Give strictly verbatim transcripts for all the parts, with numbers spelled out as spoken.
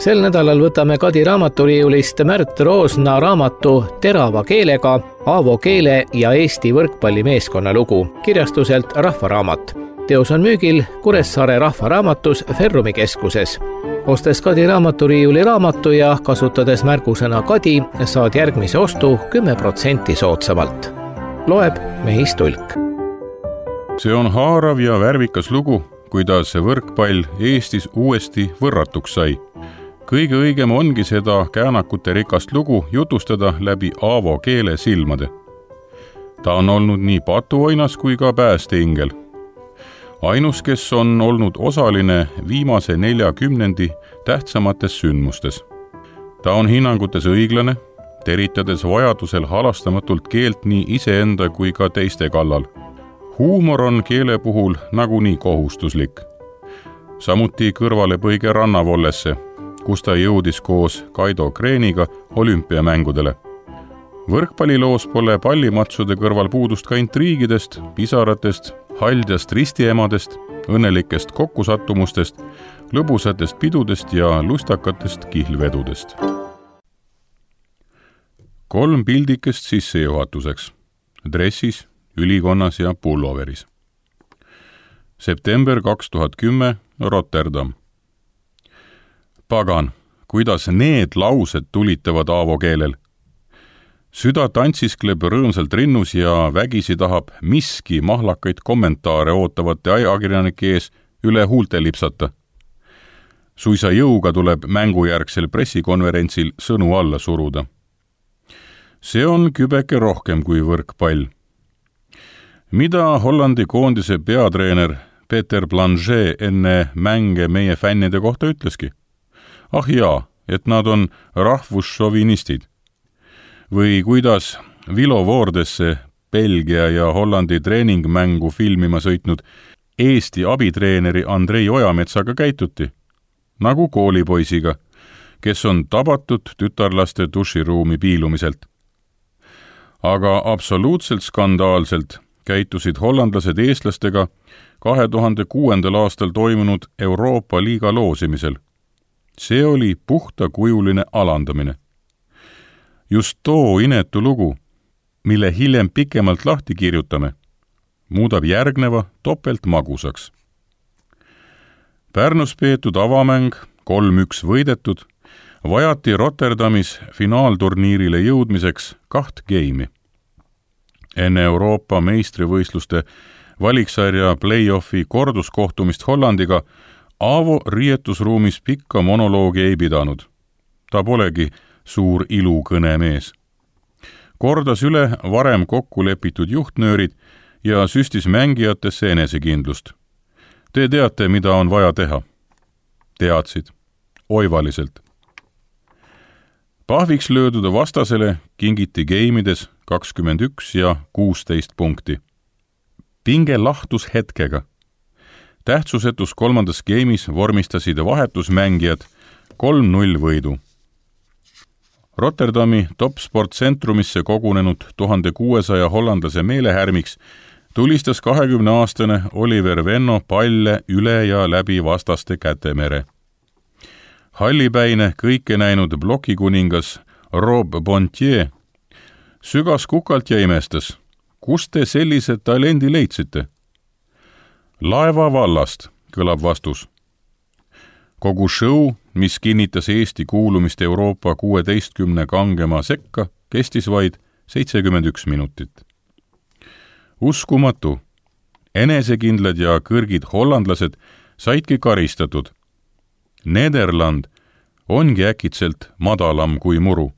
Sel nädalal võtame Kadi raamaturiiulist Märt Roosna raamatu Terava keelega Aavo keele ja Eesti võrkpallimeeskonna lugu kirjastuselt Rahvaraamat. Teos on müügil Kuressaare Rahvaraamatus Ferrumi keskuses. Ostes Kadi raamaturiiuli raamatu ja kasutades märgusõna Kadi, saad järgmise ostu kümme protsenti soodsamalt. Loeb Mehis Tulk. See on haarav ja värvikas lugu, kuidas võrkpall Eestis uuesti võrratuks sai. Kõige õigem ongi seda käänakute rikast lugu jutustada läbi Aavo keele silmade. Ta on olnud nii patuoinas kui ka päästeingel. Ainus, kes on olnud osaline viimase neljakümnendi tähtsamates sündmustes. Ta on hinnangutes õiglane, teritades vajadusel halastamatult keelt nii iseenda kui ka teiste kallal. Huumor on keele puhul nagunii kohustuslik. Samuti kõrvalepõige rannavollesse, kus ta jõudis koos Kaido Kreeniga olümpiamängudele. Võrkpalliloos pole pallimatsude kõrval puudust ka intriigidest, pisaratest, haldjast ristiemadest, õnnelikest kokkusattumustest, lõbusatest pidudest ja lustakatest kihlvedudest. Kolm pildikest sissejuhatuseks. Dressis, ülikonnas ja pulloveris. September kaks tuhat kümme, Rotterdam. Pagan, kuidas need laused tulitavad Aavo keelel. Süda tantsiskleb rõõmsalt rinnus ja vägisi tahab miski mahlakaid kommentaare ootavate ajakirjanike ees üle huulte lipsata. Suisa jõuga tuleb mängujärgsel pressikonverentsil sõnu alla suruda. See on kübeke rohkem kui võrkpall. Mida Hollandi koondise peatreener Peter Blanchet enne mänge meie fännide kohta ütleski? Ah jaa, et nad on rahvusšovinistid. Või kuidas Vilo Voordesse Belgia ja Hollandi treeningmängu filmima sõitnud Eesti abitreeneri Andrei Ojametsaga käituti, nagu koolipoisiga, kes on tabatud tütarlaste duširuumi piilumiselt. Aga absoluutselt skandaalselt käitusid hollandlased eestlastega kahe tuhande kuuendal aastal toimunud Euroopa liiga loosimisel. See oli puhtakujuline alandamine. Just too inetu lugu, mille hiljem pikemalt lahti kirjutame, muudab järgneva topelt magusaks. Pärnus peetud avamäng, kolm üks võidetud, vajati Rotterdamis finaalturniirile jõudmiseks kaht geimi. Enne Euroopa meistrivõistluste valiksarja play-offi korduskohtumist Hollandiga Aavo riietusruumis pikka monoloogi ei pidanud. Ta polegi suur ilukõne mees. Kordas üle varem kokku lepitud juhtnöörid ja süstis mängijatesse enesekindlust. Te teate, mida on vaja teha. Teadsid. Oivaliselt. Pahviks löödud vastasele kingiti geimides kakskümmend üks ja kuusteist punkti. Pinge lahtus hetkega. Tähtsusetus kolmandas geimis vormistasid vahetusmängijad kolm null võidu. Rotterdami top-sportcentrumisse kogunenud tuhande kuuesaja hollandlase meelehärmiks tulistas kahekümneaastane Oliver Venno palle üle ja läbi vastaste kätemere. Hallipäine kõike näinud blokikuningas Rob Bontier sügas kukalt ja imestas. Kust te sellise talendi leidsite? Laeva vallast, kõlab vastus. Kogu show, mis kinnitas Eesti kuulumist Euroopa kuueteistkümne kangema sekka, kestis vaid seitsekümmend üks minutit. Uskumatu. Enesekindlad ja kõrgid hollandlased saidki karistatud. Nederland ongi äkitselt madalam kui muru.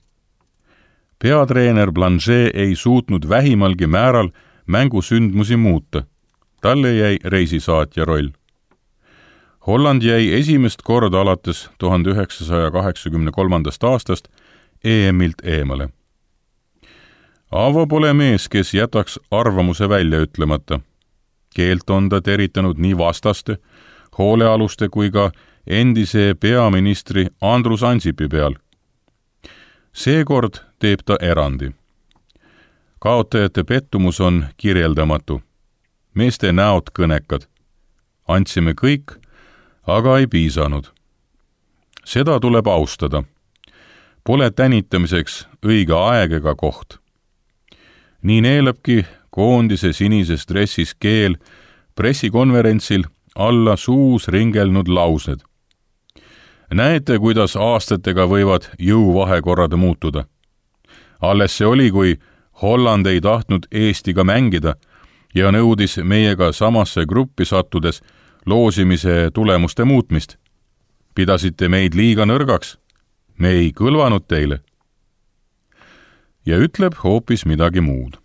Peatreener Blanchet ei suutnud vähimalgi määral mängusündmusi muuta. Talle jäi reisisaatja roll. Holland jäi esimest korda alates tuhande üheksasaja kaheksakümne kolmandast aastast E M-ilt eemale. Aavo pole mees, kes jätaks arvamuse välja ütlemata. Keelt on ta teritanud nii vastaste, hoolealuste kui ka endise peaministri Andrus Ansipi peal. Seekord teeb ta erandi. Kaotajate pettumus on kirjeldamatu. Meeste näod kõnekad. Andsime kõik, aga ei piisanud. seda tuleb austada. Pole tänitamiseks õige aeg ega koht. Nii neelabki koondise sinises dressis keel pressikonverentsil alla suus ringelnud laused. Näete, kuidas aastatega võivad jõuvahekorrad muutuda. Alles see oli, kui Holland ei tahtnud Eestiga mängida ja nõudis meiega samasse gruppi sattudes loosimise tulemuste muutmist. Pidasite meid liiga nõrgaks. Me ei kõlvanud teile. Ja ütleb hoopis midagi muud.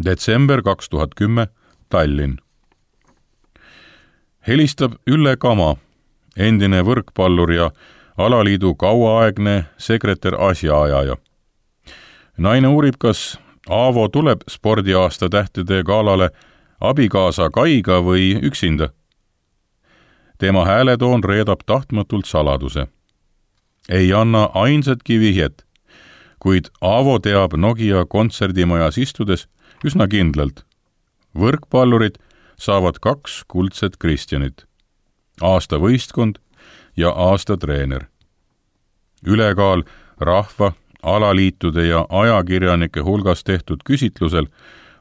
Detsember kaks tuhat kümme, Tallinn. Helistab Ülle Kama, endine võrkpallur ja alaliidu kauaaegne sekretär asjaajaja. Naine uurib, kas Aavo tuleb spordiaasta tähtede galale abikaasa Kaiga või üksinda. Tema hääletoon reedab tahtmatult saladuse. Ei anna ainsatki vihjet, kuid Aavo teab Nokia kontserdimajas istudes üsna kindlalt. Võrkpallurid saavad kaks kuldset Kristjanit. Aasta võistkond ja aasta treener. Ülekaal rahva, alaliitude ja ajakirjanike hulgas tehtud küsitlusel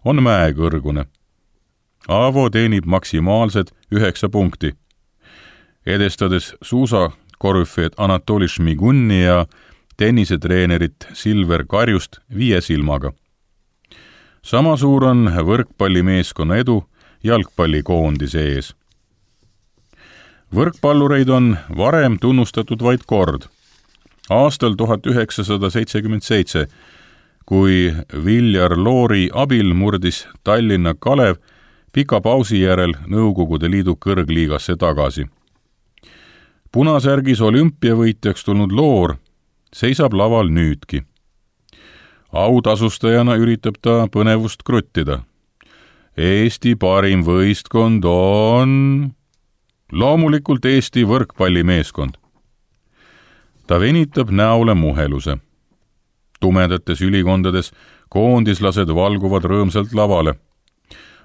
on mäekõrgune. Aavo teenib maksimaalsed üheksa punkti, edestades suusakorüfeed Anatoli Šmigunni ja tennisetreenerit Silver Karjust viie silmaga. Sama suur on võrkpallimeeskonna edu jalgpallikoondise ees. Võrkpallureid on varem tunnustatud vaid kord. Aastal tuhat üheksasada seitsekümmend seitse, kui Viljar Loori abil murdis Tallinna Kalev pika pausi järel Nõukogude Liidu kõrgliigasse tagasi. Punasärgis olümpiavõitjaks tulnud Loor seisab laval nüüdki. Autasustajana üritab ta põnevust kruttida. Eesti parim võistkond on loomulikult Eesti võrkpallimeeskond. Ta venitab näole muheluse. Tumedates ülikondades koondislased valguvad rõõmsalt lavale.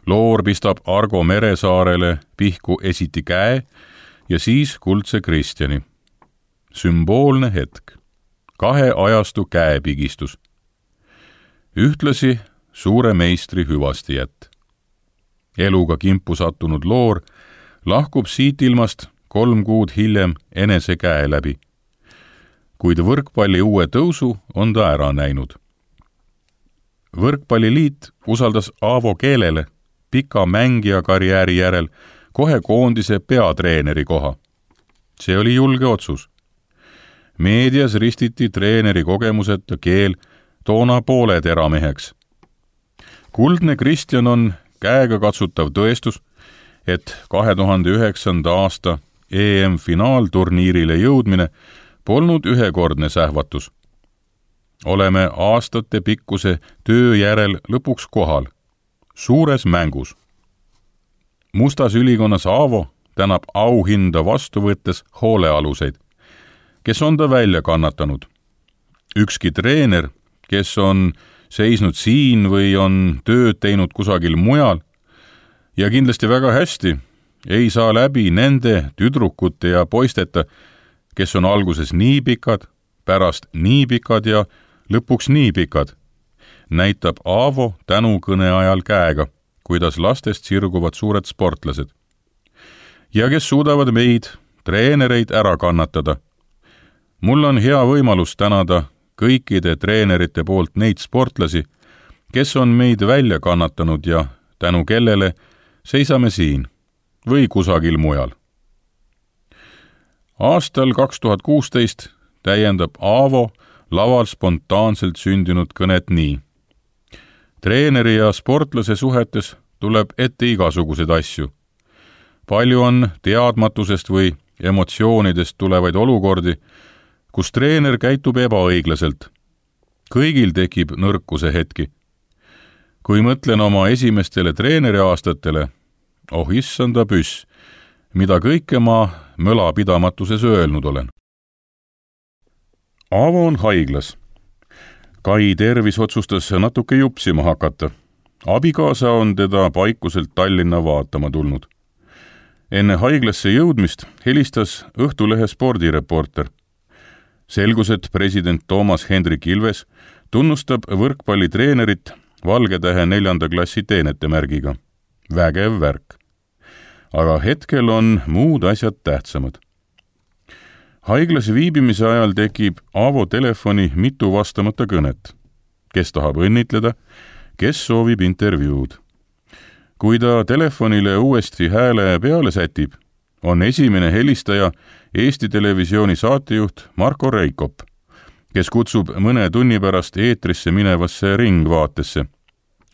Loor pistab Argo Meresaarele pihku esiti käe ja siis kuldse Kristjani. Sümboolne hetk. Kahe ajastu käepigistus. Ühtlasi suure meistri hüvastijätt. Eluga kimpu sattunud Loor lahkub siit ilmast kolm kuud hiljem enese käe läbi. Kuid võrkpalli uue tõusu on ta ära näinud. Võrkpalliliit usaldas Aavo Keelele pika mängija karjääri järel kohe koondise peatreeneri koha. See oli julge otsus. Meedias ristiti treeneri kogemuseta Keel toona poole terameheks. Kuldne Kristjan on käega katsutav tõestus, et kahe tuhande üheksanda aasta E M-finaalturniirile jõudmine polnud ühekordne sähvatus. Oleme aastate pikkuse töö järel lõpuks kohal, suures mängus. Mustas ülikonnas Aavo tänab auhinda vastu võttes hoolealuseid, kes on ta välja kannatanud. Ükski treener, kes on seisnud siin või on tööd teinud kusagil mujal ja kindlasti väga hästi, ei saa läbi nende tüdrukute ja poisteta, kes on alguses nii pikad, pärast nii pikad ja lõpuks nii pikad, näitab Aavo tänukõne ajal käega, kuidas lastest sirguvad suured sportlased. Ja kes suudavad meid, treenereid, ära kannatada. Mul on hea võimalus tänada kõikide treenerite poolt neid sportlasi, kes on meid välja kannatanud ja tänu kellele seisame siin või kusagil mujal. Aastal kaks tuhat kuusteist täiendab Aavo laval spontaanselt sündinud kõnet nii. Treeneri ja sportlase suhetes tuleb ette igasuguseid asju. Palju on teadmatusest või emotsioonidest tulevaid olukordi, kus treener käitub ebaõiglaselt. Kõigil tekib nõrkuse hetki. Kui mõtlen oma esimestele treeneri aastatele, oh issanda püss, mida kõike ma mölapidamatuses öelnud olen. Aavo on haiglas. Kai tervis otsustas natuke jupsima hakata. Abikaasa on teda paikuselt Tallinna vaatama tulnud. enne haiglasse jõudmist helistas Õhtulehe spordireporter. Selgus, et president Toomas Hendrik Ilves tunnustab võrkpallitreenerit Valgetähe neljanda klassi teenetemärgiga. Vägev värk. Aga hetkel on muud asjad tähtsamad. Haiglas viibimise ajal tekib Aavo telefoni mitu vastamata kõnet. Kes tahab õnnitleda, kes soovib intervjuud. Kui ta telefonile uuesti hääle peale sätib, on esimene helistaja Eesti Televisiooni saatejuht Marko Reikop, kes kutsub mõne tunni pärast eetrisse minevasse ringvaatesse.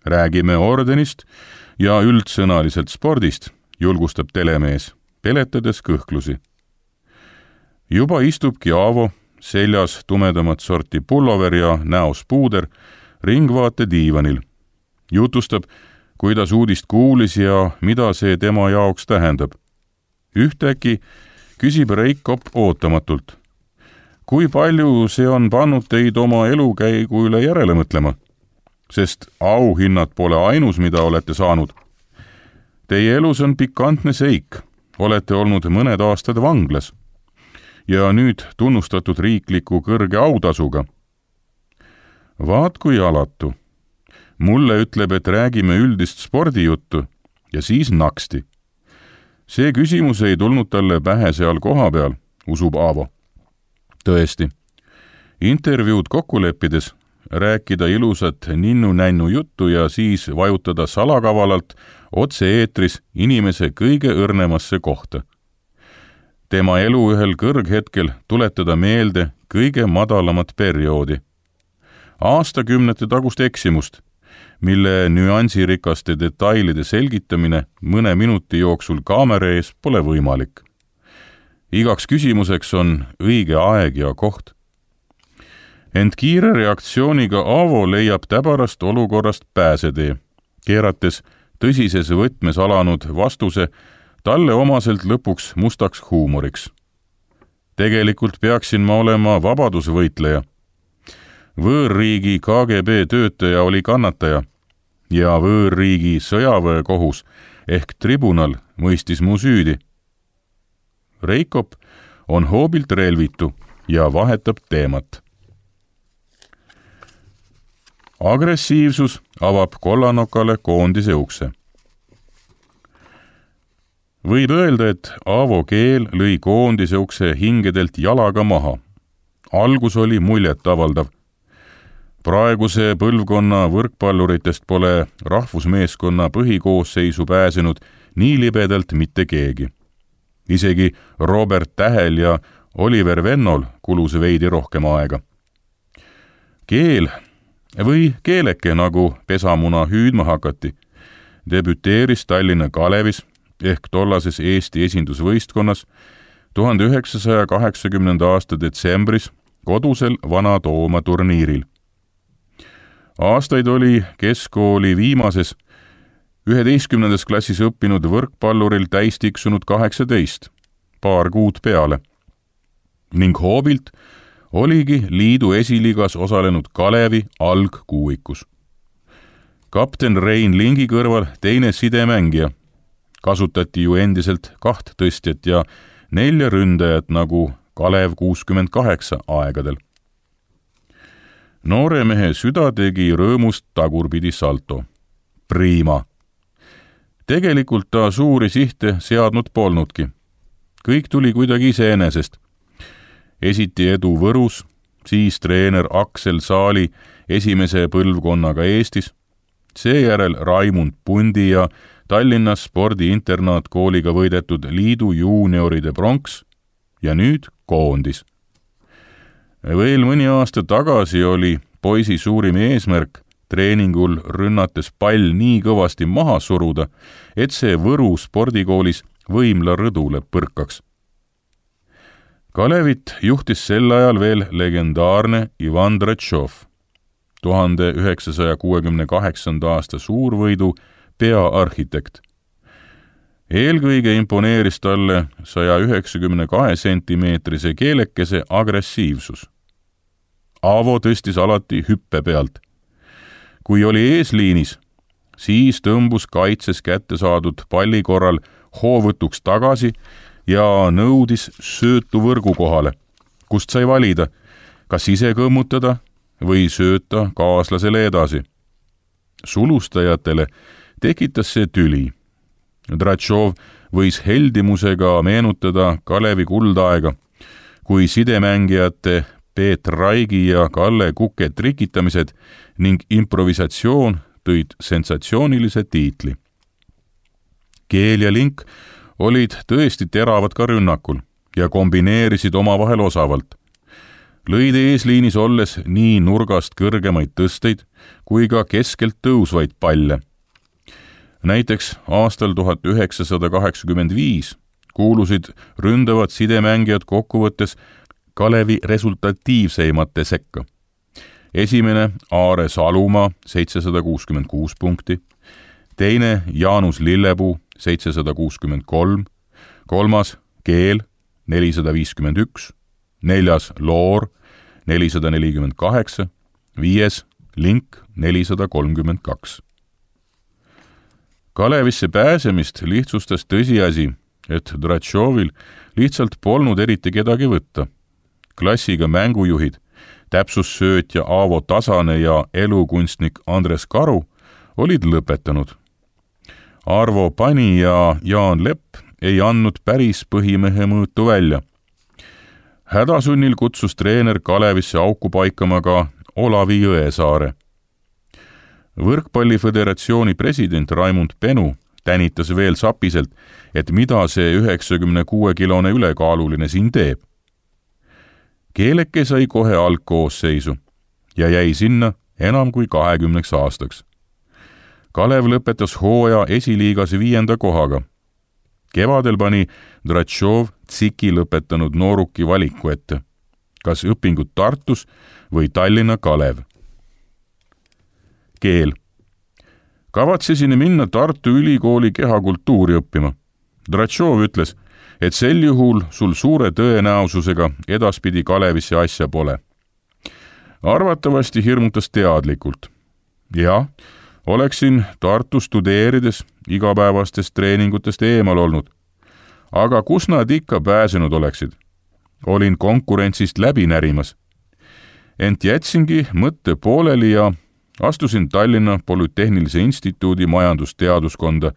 Räägime ordenist ja üldsõnaliselt spordist, julgustab telemees, peletades kõhklusi. Juba istubki Aavo, seljas tumedamat sorti pullover ja näos puuder, ringvaate diivanil. Jutustab, kuidas uudist kuulis ja mida see tema jaoks tähendab. Ühtäkki küsib Reikop ootamatult. Kui palju see on pannud teid oma elukäigu üle järele mõtlema? Sest auhinnad pole ainus, mida olete saanud. Teie elus on pikantne seik. Olete olnud mõned aastad vanglas. Ja nüüd tunnustatud riikliku kõrge autasuga. Vaat kui alatu. Mulle ütleb, et räägime üldist spordijuttu ja siis naksti. See küsimus ei tulnud talle pähe seal koha peal, usub Aavo. Tõesti. Intervjuud kokku leppides rääkida ilusat ninnu-nännu juttu ja siis vajutada salakavalalt otse-eetris inimese kõige õrnemasse kohta. Tema elu ühel kõrghetkel tuletada meelde kõige madalamat perioodi. Aastakümnete tagust eksimust, mille nüansirikaste detailide selgitamine mõne minuti jooksul kaamera ees pole võimalik. Igaks küsimuseks on õige aeg ja koht. Ent kiire reaktsiooniga Aavo leiab täbarast olukorrast pääsetee, keerates tõsises võtmes alanud vastuse talle omaselt lõpuks mustaks huumoriks. Tegelikult peaksin ma olema vabadusvõitleja. Võõrriigi K G B töötaja oli kannataja ja võõrriigi sõjaväekohus ehk tribunal mõistis mu süüdi. Reikop on hoobilt relvitu ja vahetab teemat. Agressiivsus avab kollanokale koondise ukse. Võib öelda, et Aavo keel lõi koondise ukse hingedelt jalaga maha. Algus oli muljet avaldav. Praeguse põlvkonna võrkpalluritest pole rahvusmeeskonna põhikoosseisu pääsenud nii libedalt mitte keegi. Isegi Robert Tähel ja Oliver Vennol kulus veidi rohkem aega. Keel või keeleke, nagu pesamuna hüüdma hakati, debüteeris Tallinna Kalevis ehk tollases Eesti esindusvõistkonnas tuhande üheksasaja kaheksakümnenda aasta detsembris kodusel Vana-Tooma turniiril. Aastaid oli keskkooli viimases üheteistkümnendas klassis õppinud võrkpalluril täis tiksunud kaheksateist, paar kuud peale. Ning hoobilt oligi liidu esiliigas osalenud Kalevi algkuuikus. Kapten Rein Lingi kõrval teine sidemängija. Kasutati ju endiselt kaht tõstjat ja nelja ründajat nagu Kalev kuuskümmend kaheksa aegadel. Noore mehe süda tegi rõõmust tagurpidi salto. Prima. Tegelikult ta suuri sihte seadnud polnudki. Kõik tuli kuidagi iseenesest. Esiti edu Võrus, siis treener Aksel Saali esimese põlvkonnaga Eestis, seejärel Raimund Pundi ja Tallinnas spordiinternaatkooliga võidetud liidu juunioride pronks ja nüüd koondis. Veel mõni aasta tagasi oli poisi suurim eesmärk treeningul rünnates pall nii kõvasti maha suruda, et see Võru spordikoolis võimla rõdule põrkaks. Kalevit juhtis sel ajal veel legendaarne Ivan Dretšov, tuhande üheksasaja kuuekümne kaheksanda aasta suurvõidu peaarhitekt. Eelkõige imponeeris talle saja üheksakümne kahe sentimeetrise keelekese agressiivsus. Aavo tõstis alati hüppe pealt. Kui oli eesliinis, siis tõmbus kaitses kätte saadud palli korral hoovõtuks tagasi ja nõudis söötu võrgu kohale, kust sai valida, kas ise kõmmutada või sööta kaaslasele edasi. Sulustajatele tekitas see tüli. Dratšov võis heldimusega meenutada Kalevi kuldaega, kui sidemängijate Peet Raigi ja Kalle Kuke trikitamised ning improvisatsioon tõid sensatsioonilise tiitli. Keel ja Link olid tõesti teravad ka rünnakul ja kombineerisid omavahel osavalt. Lõid eesliinis olles nii nurgast kõrgemaid tõsteid kui ka keskelt tõusvaid palle. Näiteks aastal tuhat üheksasada kaheksakümmend viis kuulusid ründavad sidemängijad kokkuvõttes Kalevi resultatiivseimate sekka. Esimene Aare Salumaa seitsesada kuuskümmend kuus punkti, teine Jaanus Lillepuu seitsesada kuuskümmend kolm, kolmas Keel nelisada viiskümmend üks, neljas Loor nelisada nelikümmend kaheksa, viies Link nelisada kolmkümmend kaks. Kalevisse pääsemist lihtsustas tõsiasi, et Dratšovil lihtsalt polnud eriti kedagi võtta. Klassiga mängujuhid, täpsussöötja Aavo Tasane ja elukunstnik Andres Karu olid lõpetanud. Arvo Pani ja Jaan Lepp ei andnud päris põhimehe mõõtu välja. Hädasunnil kutsus treener Kalevisse auku paikama ka Olavi Jõesaare. Võrkpalliföderatsiooni president Raimund Penu tänitas veel sapiselt, et mida see üheksakümne kuue kilone ülekaaluline siin teeb. Keeleke sai kohe algkoosseisu ja jäi sinna enam kui kahekümneks aastaks. Kalev lõpetas hooaja esiliigas viienda kohaga. Kevadel pani Dratšov Tsiki lõpetanud nooruki valiku ette, kas õpingud Tartus või Tallinna Kalev. Keel. Kavatsesin minna Tartu Ülikooli kehakultuuri õppima. Dratšov ütles, et sel juhul sul suure tõenäosusega edaspidi Kalevisse asja pole. Arvatavasti hirmutas teadlikult. Ja, oleksin Tartu studeerides igapäevastest treeningutest eemal olnud. Aga kus nad ikka pääsenud oleksid? Olin konkurentsist läbi närimas. Ent jätsingi mõtte pooleli ja astusin Tallinna Polütehnilise Instituudi majandusteaduskonda,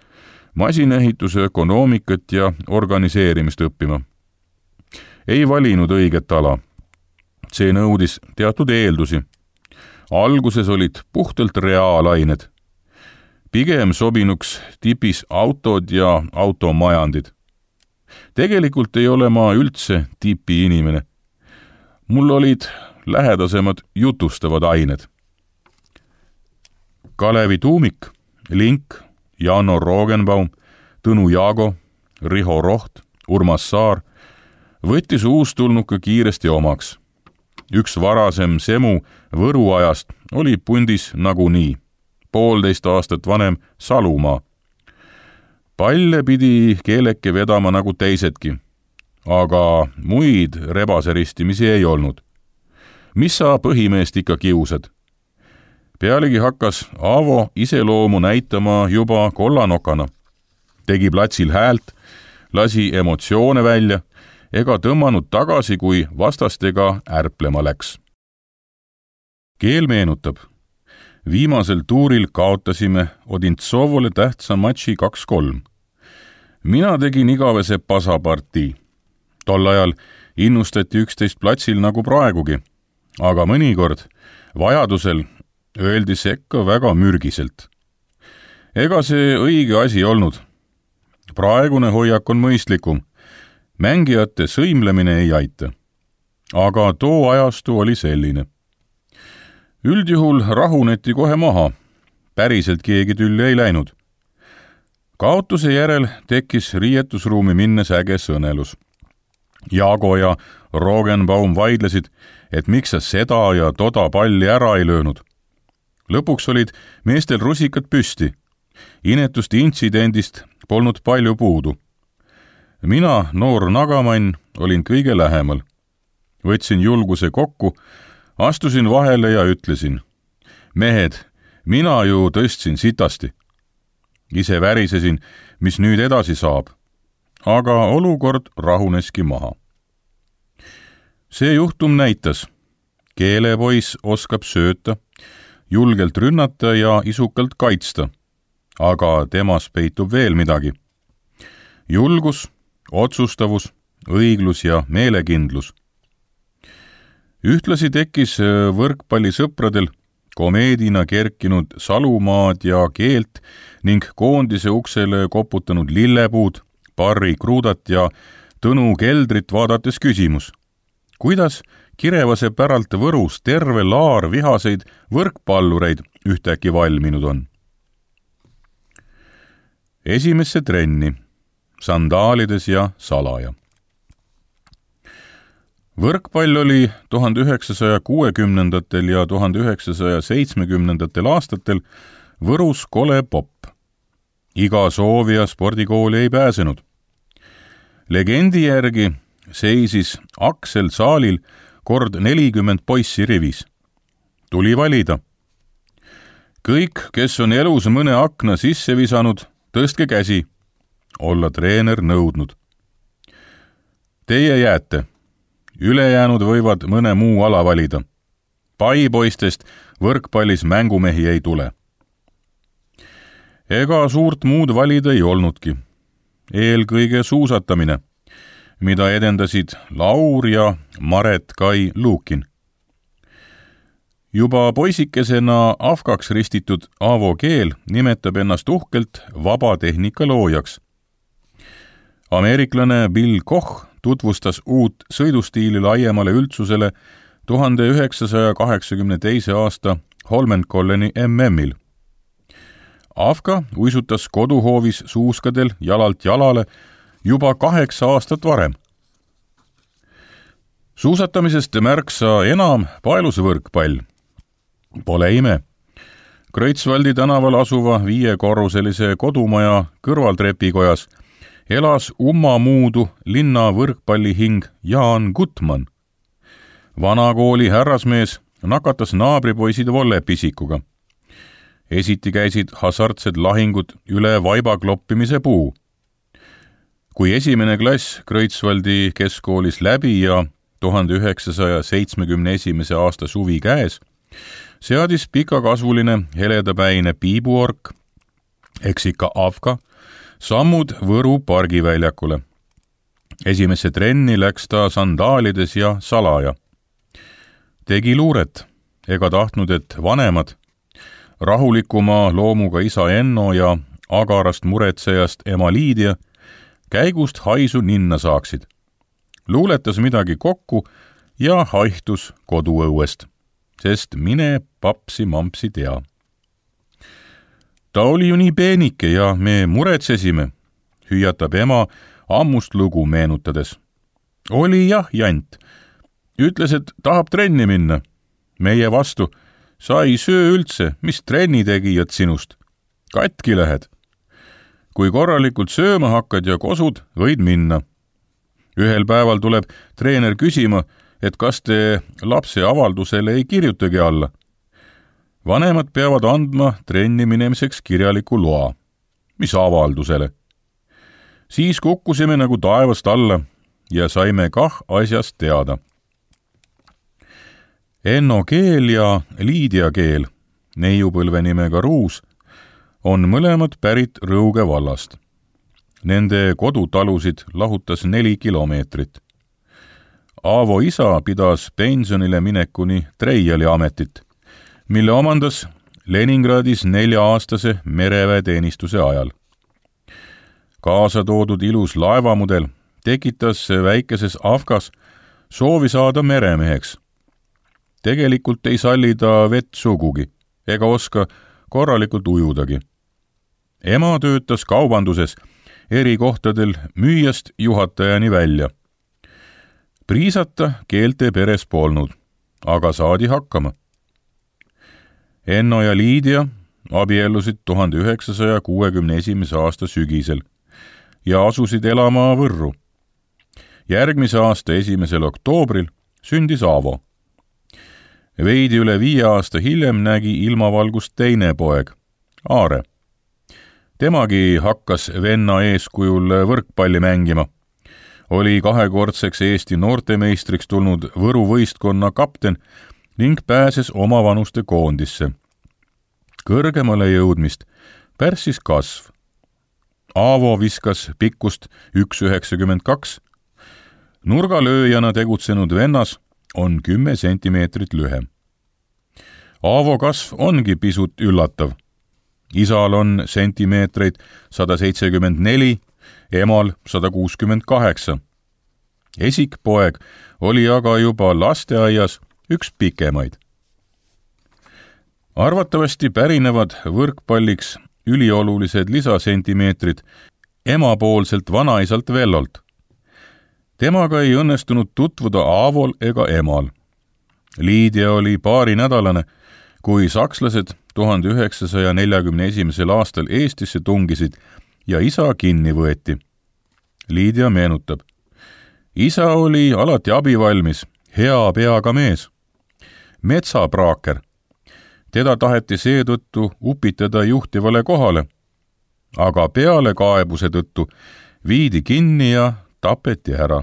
masinehituse ökonoomikat ja organiseerimist õppima. Ei valinud õiget ala. See nõudis teatud eeldusi. Alguses olid puhtalt reaalained. Pigem sobinuks tipis autod ja automajandid. Tegelikult ei ole ma üldse tipi inimene. Mul olid lähedasemad jutustavad ained. Kalevi tuumik, Link, Janno Rogenbaum, Tõnu Jaago, Riho Roht, Urmas Saar võttis uustulnuka kiiresti omaks. Üks varasem Semu Võru ajast oli pundis nagunii, poolteist aastat vanem Salumaa. Palle pidi Keeleke vedama nagu teisedki, aga muid rebaseristimisi ei olnud. Mis sa põhimeest ikka kiusad? Pealegi hakkas Aavo iseloomu näitama juba kollanokana. Tegi platsil häält, lasi emotsioone välja ega tõmmanud tagasi, kui vastastega ärplema läks. Keel meenutab. Viimasel tuuril kaotasime Odintsovole tähtsa matši kaks kolm. Mina tegin igavese pasapartii. Tol ajal innustati üksteist platsil nagu praegugi, aga mõnikord vajadusel öeldi sekka väga mürgiselt. Ega see õige asi olnud. Praegune hoiak on mõistlikum. Mängijate sõimlemine ei aita. Aga too ajastu oli selline. Üldjuhul rahuneti kohe maha. Päriselt keegi tülli ei läinud. Kaotuse järel tekkis riietusruumi minnes äge sõnelus. Jaago ja Rogenbaum vaidlesid, et miks sa seda ja toda palli ära ei löönud. Lõpuks olid meestel rusikad püsti. Inetust intsidendist polnud palju puudu. Mina, noor nagamann, olin kõige lähemal. Võtsin julguse kokku, astusin vahele ja ütlesin, mehed, mina ju tõstsin sitasti. Ise värisesin, mis nüüd edasi saab, aga olukord rahuneski maha. See juhtum näitas, keelepoiss oskab sööta, julgelt rünnata ja isukalt kaitsta, aga temas peitub veel midagi. Julgus, otsustavus, õiglus ja meelekindlus. Ühtlasi tekkis võrkpallisõpradel komeedina kerkinud salumaad ja keelt ning koondise uksele koputanud lillepuud, Barry Krudat ja Tõnu Keldrit vaadates küsimus, kuidas Kirevase päralt Võrus terve laar vihaseid võrkpallureid ühtäkki valminud on. Esimesse trenni, sandaalides ja salaja. Võrkpall oli tuhande üheksasaja kuuekümnendatel ja tuhande üheksasaja seitsmekümnendatel aastatel Võrus kole popp. Iga soovija spordikooli ei pääsenud. Legendi järgi seisis Aksel saalil kord nelikümmend poissi rivis. Tuli valida. Kõik, kes on elus mõne akna sisse visanud, tõstke käsi. Olla treener nõudnud. Teie jääte. Ülejäänud võivad mõne muu ala valida. Paipoistest võrkpallis mängumehi ei tule. Ega suurt muud valida ei olnudki. Eelkõige suusatamine, mida edendasid Laur ja Maret Kai Luukin. Juba poisikesena afgaks ristitud Aavo Keel nimetab ennast uhkelt vabatehnika loojaks. Ameeriklane Bill Koch tutvustas uut sõidustiili laiemale üldsusele tuhande üheksasaja kaheksakümne teise aasta Holmenkolleni M M-il. Afga uisutas koduhoovis suuskadel jalalt jalale juba kaheksa aastat varem. Suusatamisest märksa enam paelusvõrkpall. Pole ime. Kreutzwaldi tänaval asuva viiekorruselise kodumaja kõrvaltrepikojas elas ummamuudu linna võrkpallihing Jaan Gutmann. Vanakooli härrasmees nakatas naabripoisid vollepisikuga. Esiti käisid hasartsed lahingud üle vaibakloppimise puu. Kui esimene klass Kreutzwaldi keskkoolis läbi ja tuhande üheksasaja seitsmekümne esimese aasta suvi käes, seadis pikakasvuline heledapäine piibuork, eks ikka afga, sammud Võru pargiväljakule. Esimesse trenni läks ta sandaalides ja salaja. Tegi luuret, ega tahtnud, et vanemad, rahulikuma loomuga isa Enno ja agarast muretsejast ema Liidia käigust haisu ninna saaksid. Luuletas midagi kokku ja haihtus koduõuest, sest mine papsi-mampsi tea. Ta oli ju nii peenike ja me muretsesime, hüüatab ema ammust lugu meenutades. Oli jah, jant. Ütles, et tahab trenni minna. Meie vastu, sa ei söö üldse, mis trenni tegijad sinust. Katki lähed. Kui korralikult sööma hakkad ja kosud, võid minna. Ühel päeval tuleb treener küsima, et kas te lapse avaldusele ei kirjutagi alla. Vanemad peavad andma trenni minemiseks kirjaliku loa. Mis avaldusele? Siis kukkusime nagu taevast alla ja saime kah asjast teada. Enno Keel ja Liidia Keel, neiupõlve nimega Ruus, on mõlemad pärit Rõuge vallast. Nende kodutalusid lahutas neli kilomeetrit. Aavo isa pidas pensionile minekuni Treiali ametit, mille omandas Leningradis nelja-aastase mereväeteenistuse ajal. Kaasa toodud ilus laevamudel tekitas väikeses Afgas soovi saada meremeheks. Tegelikult ei salli ta vett sugugi, ega oska korralikult ujudagi. Ema töötas kaubanduses eri kohtadel müüjast juhatajani välja. Priisata Keelte peres polnud, aga saadi hakkama. Enno ja Liidia abiellusid tuhande üheksasaja kuuekümne esimese aasta sügisel ja asusid elama Võrru. Järgmise aasta esimesel oktoobril sündis Aavo. Veidi üle viie aasta hiljem nägi ilmavalgust teine poeg, Aare. temagi hakkas venna eeskujul võrkpalli mängima. Oli kahekordseks Eesti noortemeistriks tulnud Võru võistkonna kapten ning pääses omavanuste koondisse. Kõrgemale jõudmist pärssis kasv. Aavo viskas pikkust üks üheksakümmend kaks. Nurgalööjana tegutsenud vennas on kümme sentimeetrit lühem. Aavo kasv ongi pisut üllatav. Isal on sentimeetreid sada seitsekümmend neli, emal sada kuuskümmend kaheksa. Esikpoeg oli aga juba lasteaias üks pikemaid. Arvatavasti pärinevad võrkpalliks üliolulised lisasentimeetrid emapoolselt vanaisalt Vellolt. Temaga ei õnnestunud tutvuda Aavol ega emal. Liidia oli paarinädalane, kui sakslased tuhande üheksasaja neljakümne esimesel aastal Eestisse tungisid ja isa kinni võeti. Liidia meenutab. Isa oli alati abivalmis, hea peaga mees. Metsapraaker. Teda taheti seetõttu upitada juhtivale kohale, aga peale kaebuse tõttu viidi kinni ja tapeti ära.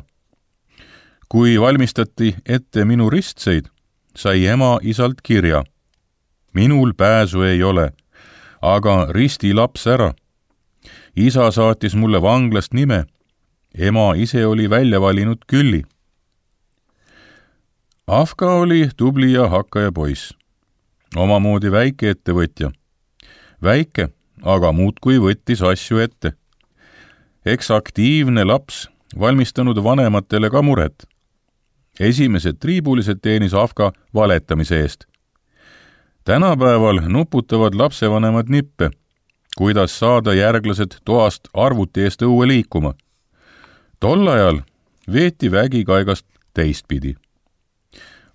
Kui valmistati ette minu ristseid, sai ema isalt kirja. Minul pääsu ei ole, aga risti laps ära. Isa saatis mulle vanglast nime. Ema ise oli välja valinud Külli. Afka oli tubli ja hakkaja poiss. Omamoodi väike ettevõtja. Väike, aga muudkui võttis asju ette. Eks aktiivne laps valmistanud vanematele ka muret. Esimesed triibulised teenis Afka valetamise eest. Tänapäeval nuputavad lapsevanemad nippe, kuidas saada järglased toast arvuti eest õue liikuma. Tol ajal veeti vägi kaigast teistpidi.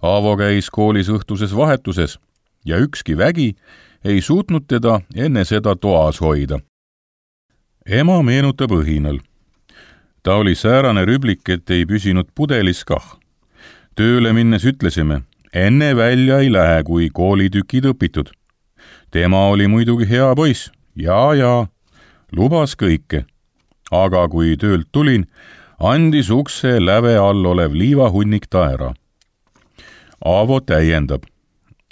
Aavo käis koolis õhtuses vahetuses ja ükski vägi ei suutnud teda enne seda toas hoida. Ema meenutab õhinal. Ta oli säärane rüblik, et ei püsinud pudelis kah. Tööle minnes ütlesime, enne välja ei lähe, kui koolitükid õpitud. Tema oli muidugi hea poiss, ja, ja, lubas kõike. Aga kui töölt tulin, andis ukse läve all olev liivahunnik ta ära. Aavo täiendab.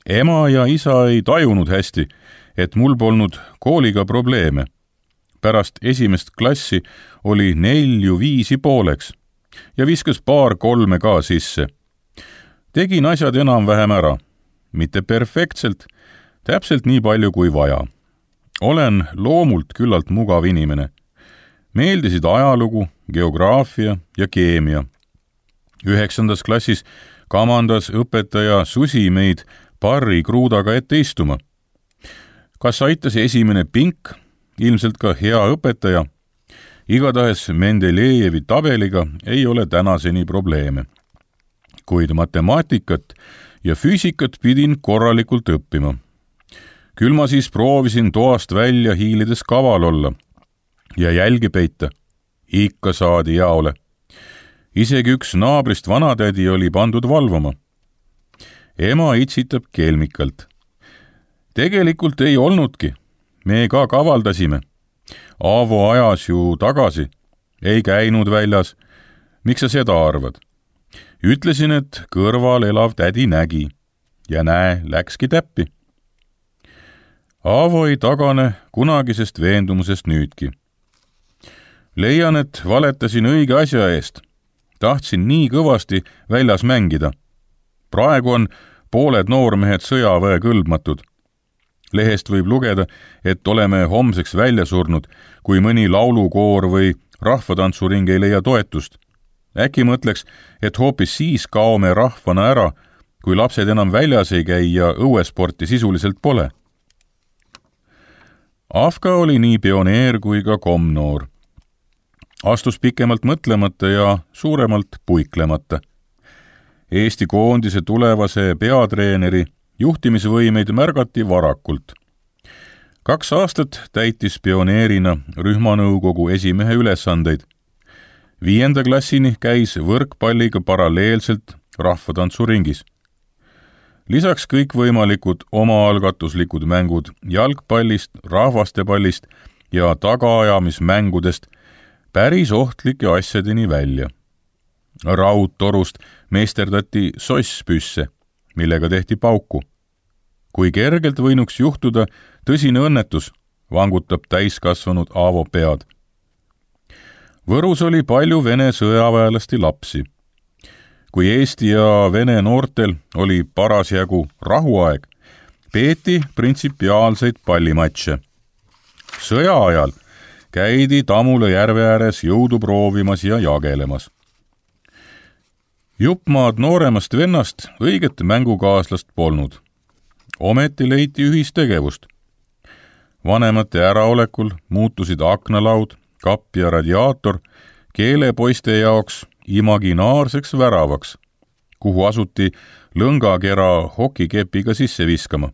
Ema ja isa ei tajunud hästi, et mul polnud kooliga probleeme. Pärast esimest klassi oli nelju viisi pooleks ja viskas paar kolme ka sisse. Tegin asjad enam-vähem ära. Mitte perfektselt, täpselt nii palju kui vaja. Olen loomult küllalt mugav inimene. Meeldisid ajalugu, geograafia ja keemia. Üheksandas klassis kamandas õpetaja Susi meid parri kruudaga ette istuma. Kas aitas esimene pink, ilmselt ka hea õpetaja? Igatahes Mendelejevi tabeliga ei ole tänaseni probleeme. Kuid matemaatikat ja füüsikat pidin korralikult õppima. Küll ma siis proovisin toast välja hiilides kaval olla ja jälgi peita. Ikka saadi jaole. Isegi üks naabrist vanatädi oli pandud valvama. Ema itsitab kelmikalt. Tegelikult ei olnudki. Me ka kavaldasime. Aavo ajas ju tagasi. Ei käinud väljas. Miks sa seda arvad? Ütlesin, et kõrval elav tädi nägi. Ja näe, läkski täppi. Aavo ei tagane kunagisest veendumusest nüüdki. Leian, et valetasin õige asja eest. Tahtsin nii kõvasti väljas mängida. Praegu on pooled noormehed sõjaväe kõlbmatud. Lehest võib lugeda, et oleme homseks välja surnud, kui mõni laulukoor või rahvatantsuring ei leia toetust. Äkki mõtleks, et hoopis siis kaome rahvana ära, kui lapsed enam väljas ei käi ja õuesporti sisuliselt pole. Afka oli nii pioneer kui ka komnoor. Astus pikemalt mõtlemata ja suuremalt puiklemata. Eesti koondise tulevase peatreeneri juhtimisvõimeid märgati varakult. Kaks aastat täitis pioneerina rühmanõukogu esimehe ülesandeid. Viienda klassini käis võrkpalliga paralleelselt rahvatantsuringis. Lisaks kõikvõimalikud omaalgatuslikud mängud jalgpallist, rahvastepallist ja tagaajamismängudest päris ohtlike asjadeni välja. Raudtorust meisterdati sosspüsse, millega tehti pauku. Kui kergelt võinuks juhtuda tõsine õnnetus, vangutab täiskasvanud Aavo pead. Võrus oli palju Vene sõjaväelasti lapsi. Kui Eesti ja Vene noortel oli parasjagu rahuaeg, peeti printsipiaalseid pallimatše. Sõja ajal käidi Tamula järve ääres jõudu proovimas ja jagelemas. Juppmaad nooremast vennast õiget mängukaaslast polnud. Ometi leiti ühistegevust. Vanemate äraolekul muutusid aknalaud, kapp ja radiaator keelepoiste jaoks imaginaarseks väravaks, kuhu asuti lõngakera hokikepiga sisse viskama.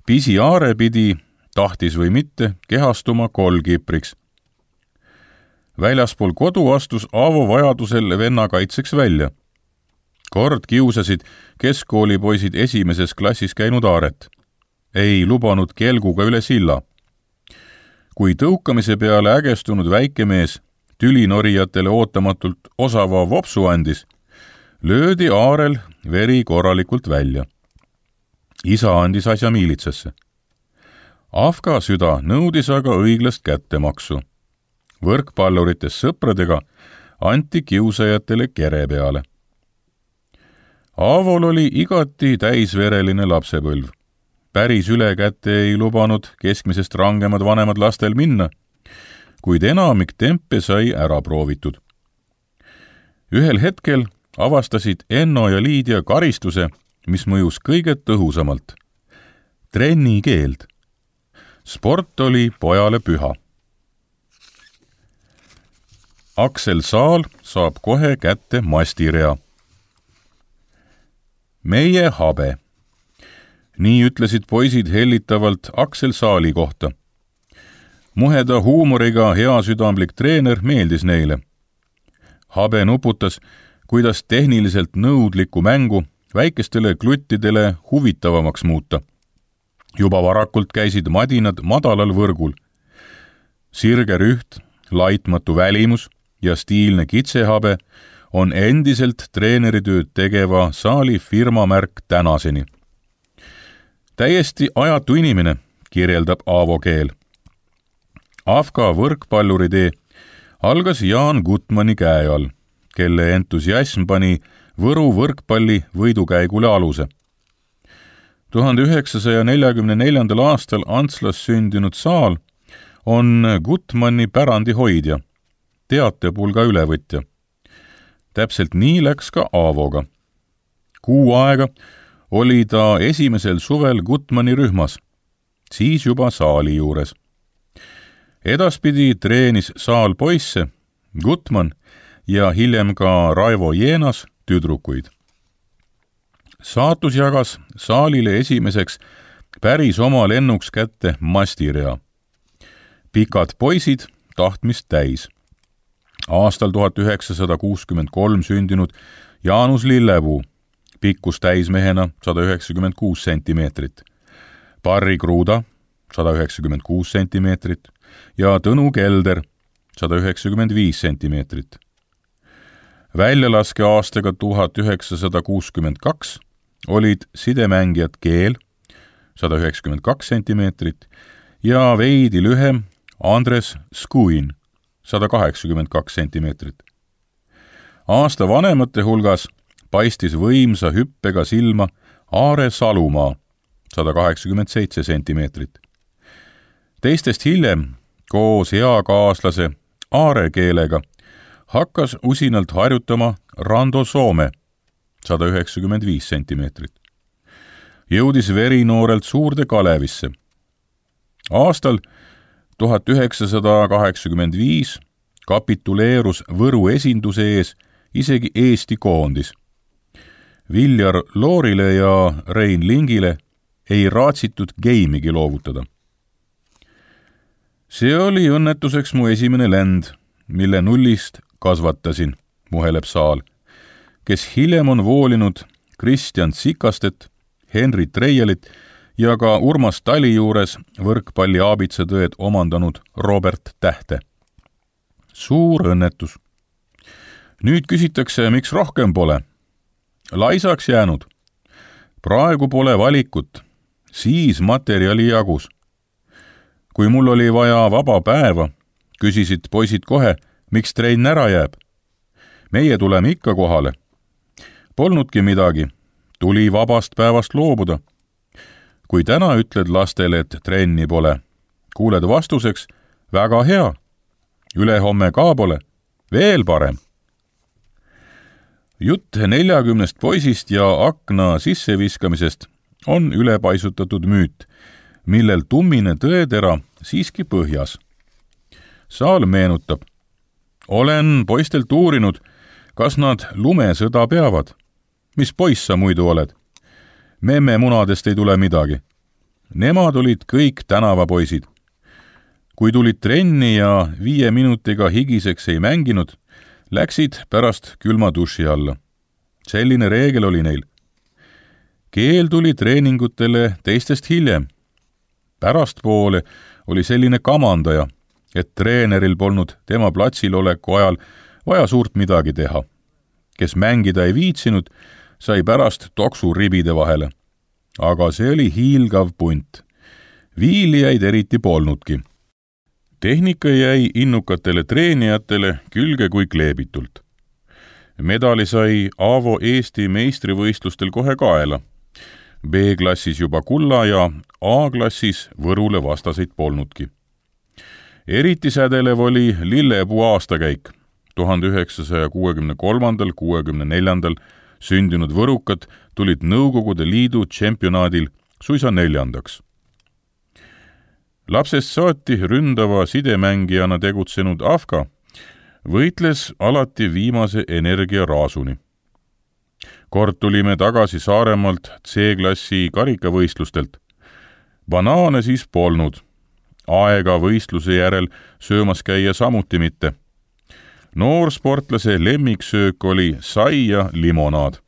Pisi Aare pidi, tahtis või mitte, kehastuma kolgipriks. Väljaspool kodu astus Aavo vajadusel venna kaitseks välja. Kord kiusasid keskkoolipoisid esimeses klassis käinud Aaret. Ei lubanud kelguga üle silla. Kui tõukamise peale ägestunud väikemees tülinorijatele ootamatult osava vopsu andis, löödi Aarel veri korralikult välja. Isa andis asja miilitsasse. Afga süda nõudis aga õiglast kättemaksu. Võrkpallurites sõpradega anti kiusajatele kere peale. Aavol oli igati täisvereline lapsepõlv. Päris üle kätte ei lubanud keskmisest rangemad vanemad lastel minna, kuid enamik tempe sai ära proovitud. Ühel hetkel avastasid Enno ja Liidia karistuse, mis mõjus kõige tõhusamalt. Trennikeeld. Sport oli pojale püha. Aksel Saal saab kohe kätte mastirea. Meie habe. Nii ütlesid poisid hellitavalt Aksel Saali kohta. Muheda huumoriga heasüdamlik treener meeldis neile. Habe nuputas, kuidas tehniliselt nõudlikku mängu väikestele kluttidele huvitavamaks muuta. Juba varakult käisid madinad madalal võrgul. Sirge rüht, laitmatu välimus ja stiilne kitsehabe on endiselt treeneritööd tegeva Saali firmamärk tänaseni. Täiesti ajatu inimene, kirjeldab Aavo Keel. Afga võrkpalluritee algas Jaan Gutmani käe all, kelle entusiasm pani Võru võrkpalli võidukäigule aluse. tuhande üheksasaja neljakümne neljandal aastal Antslas sündinud Saal on Gutmani pärandi hoidja, teatepulga ülevõtja. Täpselt nii läks ka Aavoga. Kuu aega oli ta esimesel suvel Gutmani rühmas, siis juba Saali juures. Edaspidi treenis Saal poisse, Gutman ja hiljem ka Raivo Jeenas tüdrukuid. Saatus jagas Saalile esimeseks päris oma lennuks kätte mastirea. Pikad poisid tahtmist täis. Aastal tuhat üheksasada kuuskümmend kolm sündinud Jaanus Lillepuu, pikkus täismehena sada üheksakümmend kuus sentimeetrit, Barry Kruda sada üheksakümmend kuus sentimeetrit ja Tõnu Kelder sada üheksakümmend viis sentimeetrit. Väljalaske aastaga tuhat üheksasada kuuskümmend kaks olid sidemängijad Keel sada üheksakümmend kaks sentimeetrit ja veidi lühem Andres Skuin sada kaheksakümmend kaks sentimeetrit. Aasta vanemate hulgas paistis võimsa hüppega silma Aare Salumaa sada kaheksakümmend seitse sentimeetrit. Teistest hiljem, koos eakaaslase Aare Keelega, hakkas usinalt harjutama Rando Soome sada üheksakümmend viis sentimeetrit. Jõudis verinoorelt Suurde Kalevisse. Aastal tuhat üheksasada kaheksakümmend viis kapituleerus Võru esinduse ees isegi Eesti koondis. Viljar Loorile ja Rein Lingile ei raatsitud geimigi loovutada. See oli õnnetuseks mu esimene lend, mille nullist kasvatasin, muheleb Saal, kes hiljem on voolinud Kristjan Sikastet, Henri Treielit ja ka Urmas Tali juures võrkpalli aabitsatõed omandanud Robert Tähte. Suur õnnetus. Nüüd küsitakse, miks rohkem pole. Laisaks jäänud. Praegu pole valikut. Siis materjali jagus. Kui mul oli vaja vaba päeva, küsisid poisid kohe, miks trenn ära jääb. Meie tuleme ikka kohale. Polnudki midagi. Tuli vabast päevast loobuda. Kui täna ütled lastele, et trenni pole, kuuled vastuseks, väga hea. Ülehomme ka pole. Veel parem. Jutt neljakümnest poisist ja akna sisseviskamisest on ülepaisutatud müüt, millel tummine tõetera siiski põhjas. Saal meenutab. Olen poistelt uurinud, kas nad lumesõda peavad. Mis poiss sa muidu oled? Memme munadest ei tule midagi. Nemad olid kõik tänavapoisid. Kui tulid trenni ja viie minutiga higiseks ei mänginud, läksid pärast külma duši alla. Selline reegel oli neil. Keel tuli treeningutele teistest hiljem. Pärastpoole oli selline kamandaja, et treeneril polnud tema platsil oleku ajal vaja suurt midagi teha. Kes mängida ei viitsinud, sai pärast toksu ribide vahele. Aga see oli hiilgav punt. Viilijaid eriti polnudki. Tehnika jäi innukatele treenijatele külge kui kleebitult. Medali sai Aavo Eesti meistrivõistlustel kohe kaela. B-klassis juba kulla ja A-klassis Võrule vastaseid polnudki. Eriti sädelev oli Lillepuu aastakäik. tuhande üheksasaja kuuekümne kolmandal kuuekümne neljandal sündinud võrukad tulid Nõukogude Liidu tšempionaadil suisa neljandaks. Lapsest saati ründava sidemängijana tegutsenud Afka võitles alati viimase energiaraasuni. Kord tulime tagasi Saaremaalt C-klassi karikavõistlustelt. Banaane siis polnud. Aega võistluse järel söömas käia samuti mitte. Noorsportlase lemmiksöök oli sai ja limonaad.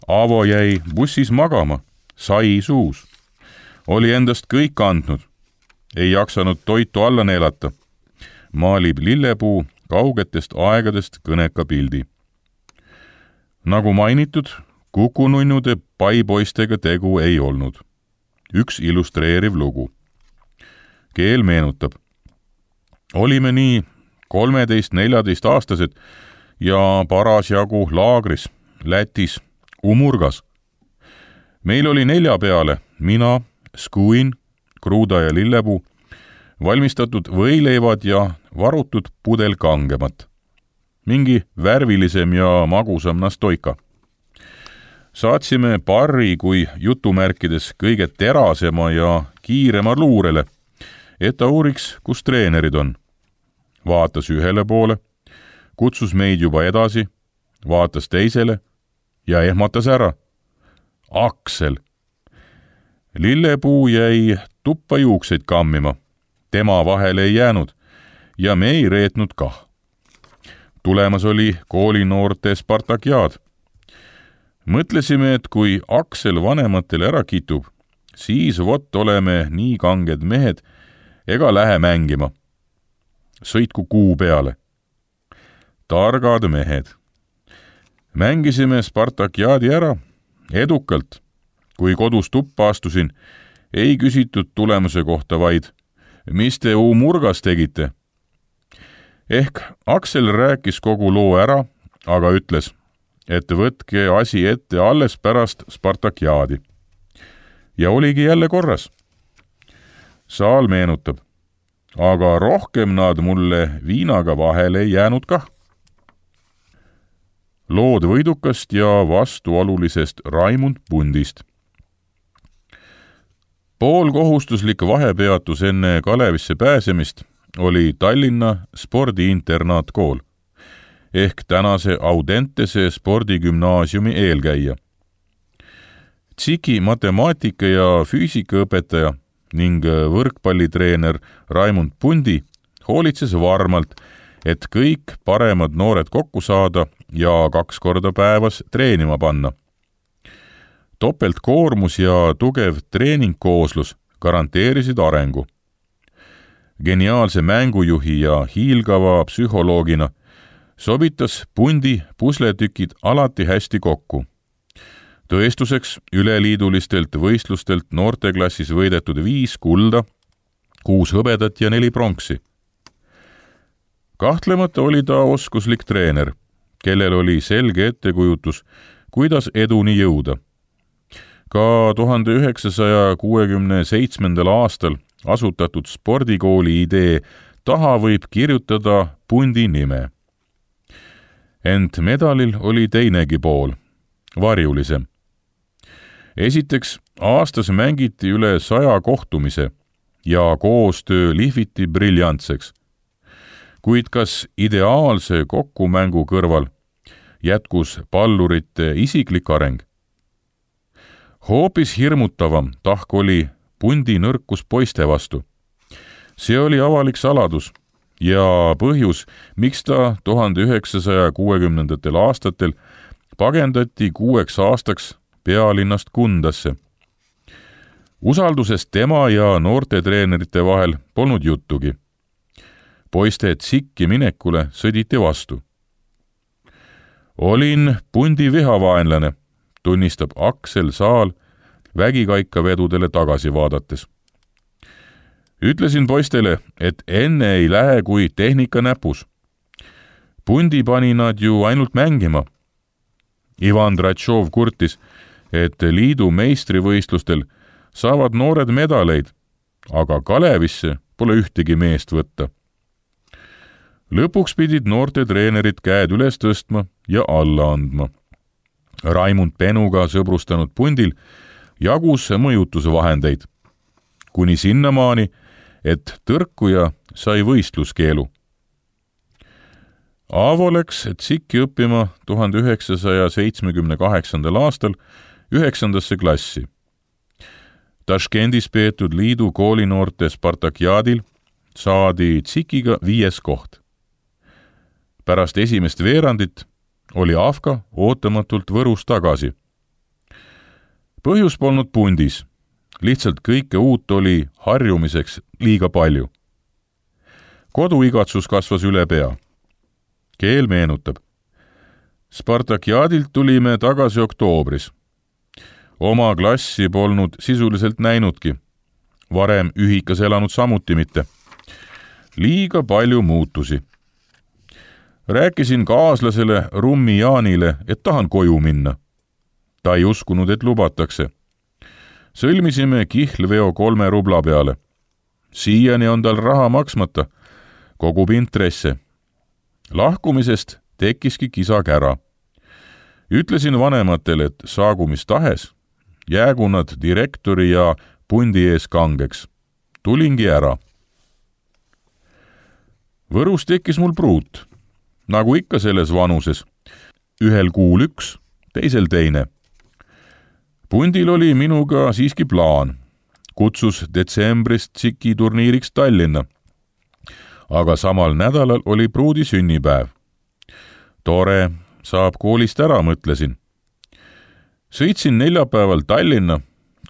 Aavo jäi bussis magama, sai suus. Oli endast kõik andnud. Ei jaksanud toitu alla neelata. Maalib Lillepuu kaugetest aegadest kõneka pildi. Nagu mainitud, kukununnude paipoistega tegu ei olnud. Üks illustreeriv lugu. Keel meenutab. Olime nii kolmeteist-neljateist aastased ja parasjagu laagris, Lätis, Umurgas. Meil oli nelja peale, mina, Skuin, Kruuda ja Lillepuu, valmistatud võileivad ja varutud pudel kangemat. Mingi värvilisem ja magusam nastoika. Saatsime parri kui jutumärkides kõige terasema ja kiirema luurele, et ta uuriks, kus treenerid on. Vaatas ühele poole, kutsus meid juba edasi, vaatas teisele ja ehmatas ära. Aksel! Lillepuu jäi tuppa juukseid kammima. Tema vahele ei jäänud ja me ei reetnud kah. Tulemas oli koolinoorte Spartakiaad. Mõtlesime, et kui Aksel vanematele ära kitub, siis vot oleme nii kanged mehed ega lähe mängima. Sõitku kuu peale. Targad mehed. Mängisime Spartakiaadi ära, edukalt. Kui kodus tuppa astusin, ei küsitud tulemuse kohta vaid, mis te Umurgas tegite? Ehk Aksel rääkis kogu loo ära, aga ütles, et võtke asi ette alles pärast Spartakiaadi. Ja oligi jälle korras. Saal meenutab, aga rohkem nad mulle viinaga vahele ei jäänud kah. Lood võidukast ja vastuolulisest Raimund Pundist. Poolkohustuslik vahepeatus enne Kalevisse pääsemist oli Tallinna spordiinternaatkool ehk tänase Audentese spordigümnaasiumi eelkäija. Tsiki matemaatika ja füüsikaõpetaja ning võrkpallitreener Raimund Pundi hoolitses varmalt, et kõik paremad noored kokku saada ja kaks korda päevas treenima panna. topeltkoormus ja tugev treeningkooslus garanteerisid arengu. Geniaalse mängujuhi ja hiilgava psühholoogina sobitas Pundi pusletükid alati hästi kokku. Tõestuseks üleliidulistelt võistlustelt noorteklassis võidetud viis kulda, kuus hõbedat ja neli pronksi. Kahtlemata oli ta oskuslik treener, kellel oli selge ettekujutus, kuidas eduni jõuda. Ka tuhande üheksasaja kuuekümne seitsmendal aastal asutatud spordikooli idee taha võib kirjutada Pundi nime. Ent medalil oli teinegi pool, varjulisem. Esiteks, aastas mängiti üle saja kohtumise ja koostöö lihviti briljantseks. Kuid kas ideaalse kokkumängu kõrval jätkus pallurite isiklik areng? Hoopis hirmutavam tahk oli Pundi nõrkus poiste vastu. See oli avalik saladus ja põhjus, miks ta tuhande üheksasaja kuuekümnendatel aastatel pagendati kuueks aastaks pealinnast Kundasse. Usaldusest tema ja noortetreenerite vahel polnud juttugi. Poiste tsikki minekule sõditi vastu. Olin Pundi vihavaenlane, tunnistab Aksel Saal vägikaikavedudele tagasi vaadates. Ütlesin poistele, et enne ei lähe kui tehnika näpus. Pundi pani nad ju ainult mängima. Ivan Dratšov kurtis, et liidu meistrivõistlustel saavad noored medaleid, aga Kalevisse pole ühtegi meest võtta. Lõpuks pidid noorte treenerid käed üles tõstma ja alla andma. Raimund Penuga sõbrustanud Pundil jagus mõjutusvahendeid, kuni sinnamaani, et tõrkuja sai võistluskeelu. Aavo läks tsikki õppima tuhande üheksasaja seitsmekümne kaheksandal aastal üheksandasse klassi. Taškendis peetud liidu koolinoorte Spartakiadil saadi tsikiga viies koht. Pärast esimest veerandit oli Avka ootamatult Võrus tagasi. Põhjus polnud Pundis, lihtsalt kõike uut oli harjumiseks liiga palju. Koduigatsus kasvas üle pea. Keel meenutab. Spartakiadilt tulime tagasi oktoobris. Oma klassi polnud sisuliselt näinudki. Varem ühikas elanud samuti mitte. Liiga palju muutusi. Rääkisin kaaslasele Rummi Jaanile, et tahan koju minna. Ta ei uskunud, et lubatakse. Sõlmisime kihlveo kolme rubla peale. Siiani on tal raha maksmata, kogub intresse. Lahkumisest tekkiski kisakära. Ütlesin vanematele, et saagu mis tahes, jäägu nad direktori ja Pundi ees kangeks. Tulingi ära. Võrus tekkis mul pruut, nagu ikka selles vanuses. Ühel kuul üks, teisel teine. Pundil oli minuga siiski plaan. Kutsus detsembris tsiki turniiriks Tallinna. Aga samal nädalal oli pruudi sünnipäev. Tore, saab koolist ära, mõtlesin. Sõitsin neljapäeval Tallinna,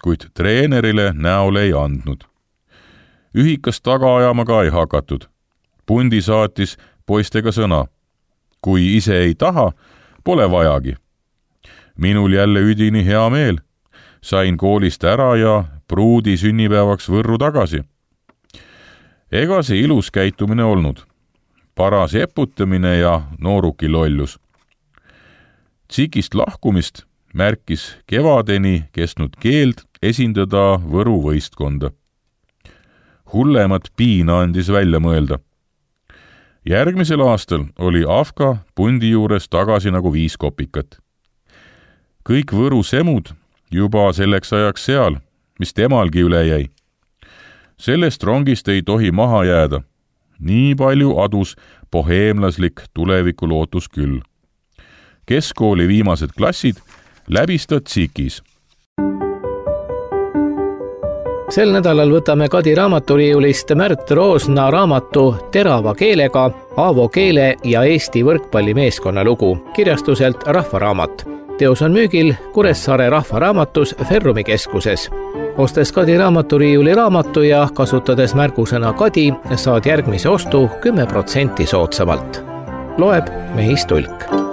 kuid treenerile näole ei andnud. Ühikas taga ajama ka ei hakatud. Pundi saatis poistega sõna. Kui ise ei taha, pole vajagi. Minul jälle üdini hea meel. Sain koolist ära ja pruudi sünnipäevaks Võrru tagasi. Ega see ilus käitumine olnud. Paras eputamine ja nooruki lollus. Tsikist lahkumist märkis kevadeni kestnud keeld esindada Võru võistkonda. Hullemat piina andis välja mõelda. Järgmisel aastal oli Avka Pundi juures tagasi nagu viis kopikat. Kõik Võru semud juba selleks ajaks seal, mis temalgi üle jäi. Sellest rongist ei tohi maha jääda. Nii palju adus boheemlaslik tulevikulootus küll. Keskkooli viimased klassid läbistad tsikis. Sel nädalal võtame Kadi raamaturiiulist Märt Roosna raamatu Terava keelega Aavo keele ja Eesti võrkpallimeeskonna lugu kirjastuselt Rahvaraamat. teos on müügil Kuressaare Rahvaraamatus Ferrumi keskuses. Ostes Kadi raamaturiiuli raamatu ja kasutades märgusõna Kadi, saad järgmise ostu kümme protsenti soodsamalt. Loeb Mehis Tulk.